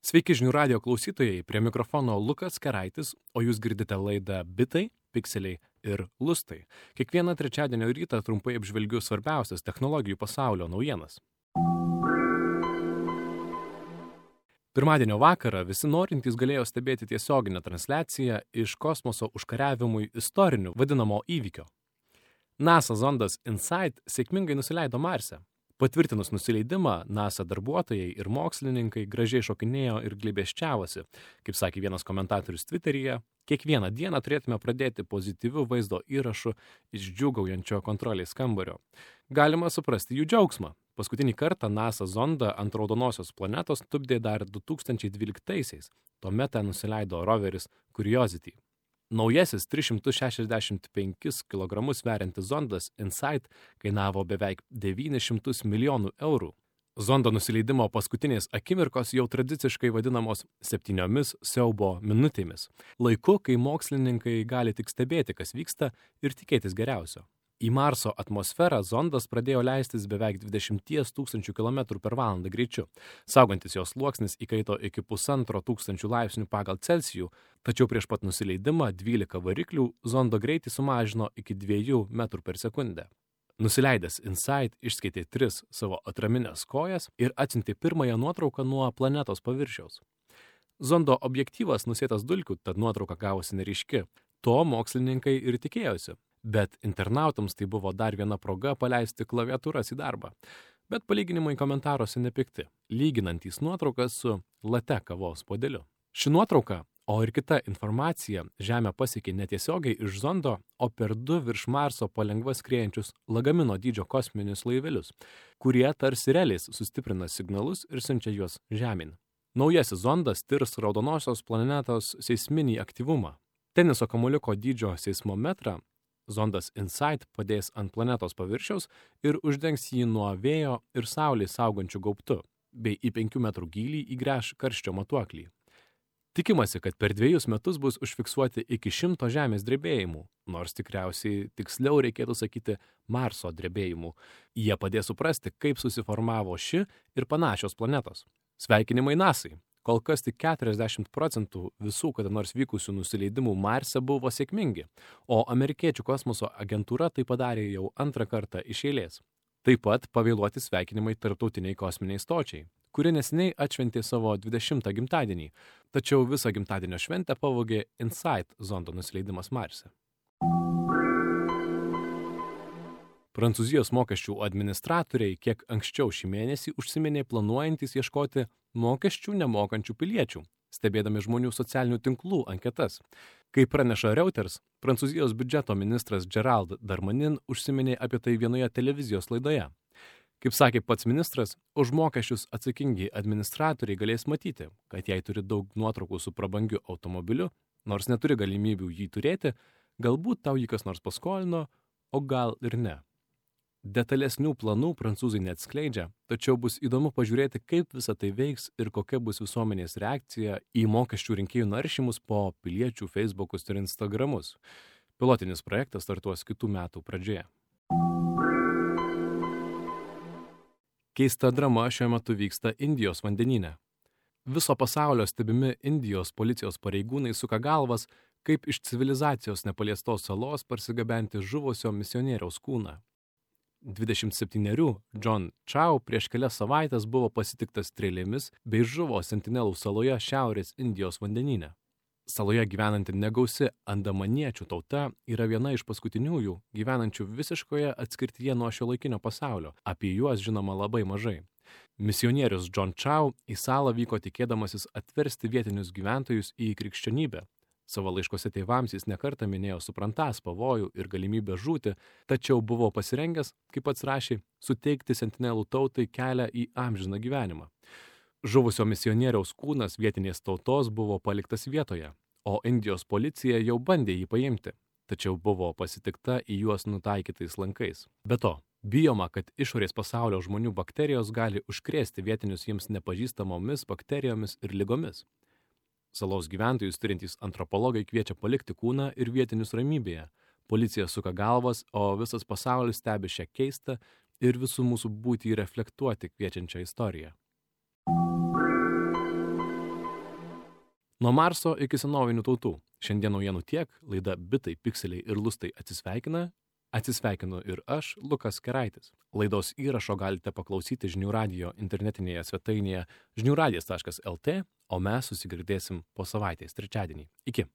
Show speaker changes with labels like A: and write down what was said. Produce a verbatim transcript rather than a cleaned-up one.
A: Sveiki žinių radijo klausytojai, prie mikrofono Lukas Keraitis, o jūs girdite laidą Bitai, Pikseliai ir Lustai. Kiekvieną trečiadienio rytą trumpai apžvelgiu svarbiausias technologijų pasaulio naujienas. Pirmadienio vakarą visi norintys galėjo stebėti tiesioginę transliaciją iš kosmoso užkariavimui istoriniu vadinamo įvykio. NASA zondas InSight sėkmingai nusileido Marse. Patvirtinus nusileidimą, NASA darbuotojai ir mokslininkai gražiai šokinėjo ir glėbesčiavosi. Kaip sakė vienas komentatorius Twitteryje, kiekvieną dieną turėtume pradėti pozityvių vaizdo įrašų iš džiūgaujančio kontrolės kambario. Galima suprasti jų džiaugsmą. Paskutinį kartą NASA zondą ant raudonosios planetos tupdė dar du tūkstančiai dvyliktaisiais. Tuomet ten nusileido roveris Curiosity. Naujasis tris šimtus šešiasdešimt penkis kilogramus sveriantis zondas InSight kainavo beveik devynis šimtus milijonų eurų. Zondo nusileidimo paskutinės akimirkos jau tradiciškai vadinamos septyniomis siaubo minutėmis. Laiku, kai mokslininkai gali tik stebėti, kas vyksta ir tikėtis geriausio. Į Marso atmosferą zondas pradėjo leistis beveik dvidešimt tūkstančių kilometrų per valandą greičiu. Saugantis jos sluoksnis įkaito iki pusantro tūkstančių laipsnių pagal Celsijų, tačiau prieš pat nusileidimą dvylika variklių zondo greitį sumažino iki dviejų metrų per sekundę. Nusileidęs InSight išskaitė tris savo atraminės kojas ir atsiuntė pirmąją nuotrauką nuo planetos paviršiaus. Zondo objektyvas nusėtas dulkių, tad nuotrauka gavosi neryški. To mokslininkai ir tikėjosi. Bet internautams tai buvo dar viena proga paleisti klaviatūras į darbą. Bet palyginimai komentaruose nepikti, lyginantys nuotraukas su latte kavos puodeliu. Ši nuotrauka, o ir kita informacija, Žemę pasiekė netiesiogiai iš zondo, o per du virš Marso palengva skriejančius lagamino dydžio kosminius laivelius, kurie tarsi reliais sustiprina signalus ir siunčia juos žemyn. Naujasis zondas tirs raudonosios planetos seisminį aktyvumą. Teniso kamuoliuko dydžio seismometrą zondas InSight padės ant planetos paviršiaus ir uždengs jį nuo vėjo ir saulės saugančių gaubtų, bei į penkių metrų gylį įgręš karščio matuoklį. Tikimasi, kad per dviejus metus bus užfiksuoti iki šimto žemės drebėjimų, nors tikriausiai tiksliau reikėtų sakyti Marso drebėjimų. Jie padės suprasti, kaip susiformavo ši ir panašios planetos. Sveikinimai NASA'ai. Kol kas tik keturiasdešimt procentų visų kada nors vykusių nusileidimų Marse buvo sėkmingi, o amerikiečių kosmoso agentūra tai padarė jau antrą kartą iš eilės. Taip pat pavėluoti sveikinimai tarptautiniai kosminiai stočiai, kuri neseniai atšventė savo dvidešimtą gimtadienį, tačiau visą gimtadienio šventę pavogė InSight zondo nusileidimas Marse. Prancūzijos mokesčių administratoriai kiek anksčiau šį mėnesį užsiminė planuojantys ieškoti mokesčių nemokančių piliečių, stebėdami žmonių socialinių tinklų anketas. Kaip praneša Reuters, Prancūzijos biudžeto ministras Gerald Darmanin užsiminė apie tai vienoje televizijos laidoje. Kaip sakė pats ministras, už mokesčius atsakingi administratoriai galės matyti, kad jei turi daug nuotraukų su prabangiu automobiliu, nors neturi galimybių jį turėti, galbūt tau jį kas nors paskolino, o gal ir ne. Detalesnių planų prancūzai neatskleidžia, tačiau bus įdomu pažiūrėti, kaip visa tai veiks ir kokia bus visuomenės reakcija į mokesčių rinkėjų naršymus po piliečių Facebookus ir Instagramus. Pilotinis projektas startuos kitų metų pradžioje. Keista drama šiuo metu vyksta Indijos vandenyne. Viso pasaulio stebimi Indijos policijos pareigūnai suka galvas, kaip iš civilizacijos nepaliestos salos parsigabenti žuvusio misionieriaus kūną. dvidešimt septynerių John Chow prieš kelias savaitės buvo pasitiktas strėlėmis bei žuvo Sentinelų saloje Šiaurės Indijos vandenyne. Saloje gyvenanti negausi andamaniečių tauta yra viena iš paskutiniųjų gyvenančių visiškoje atskirtyje nuo šiuolaikinio pasaulio. Apie juos žinoma labai mažai. Misionierius John Chow į salą vyko tikėdamasis atversti vietinius gyventojus į krikščionybę. Savo laiškose tėvams jis nekartą minėjo suprantąs pavojų ir galimybę žūti, tačiau buvo pasirengęs, kaip pats rašė, suteikti Sentinelų tautai kelią į amžiną gyvenimą. Žuvusio misionieriaus kūnas vietinės tautos buvo paliktas vietoje, o Indijos policija jau bandė jį paimti, tačiau buvo pasitikta į juos nutaikytais lankais. Be to, bijoma, kad išorės pasaulio žmonių bakterijos gali užkrėsti vietinius jiems nepažįstamomis bakterijomis ir ligomis. Salos gyventojus turintys antropologai kviečia palikti kūną ir vietinius ramybėje. Policija suka galvas, o visas pasaulis stebi šią keistą ir visų mūsų būtį reflektuoti kviečiančią istoriją. Nuo Marso iki senovinių tautų. Šiandien naujienų tiek, laida Bitai, Pikseliai ir Lustai atsisveikina. Atsisveikinu ir aš, Lukas Keraitis. Laidos įrašo galite paklausyti Žinių radijo internetinėje svetainėje žinių radijas taškas el tė, o mes susigirdėsim po savaitės trečiadienį. Iki.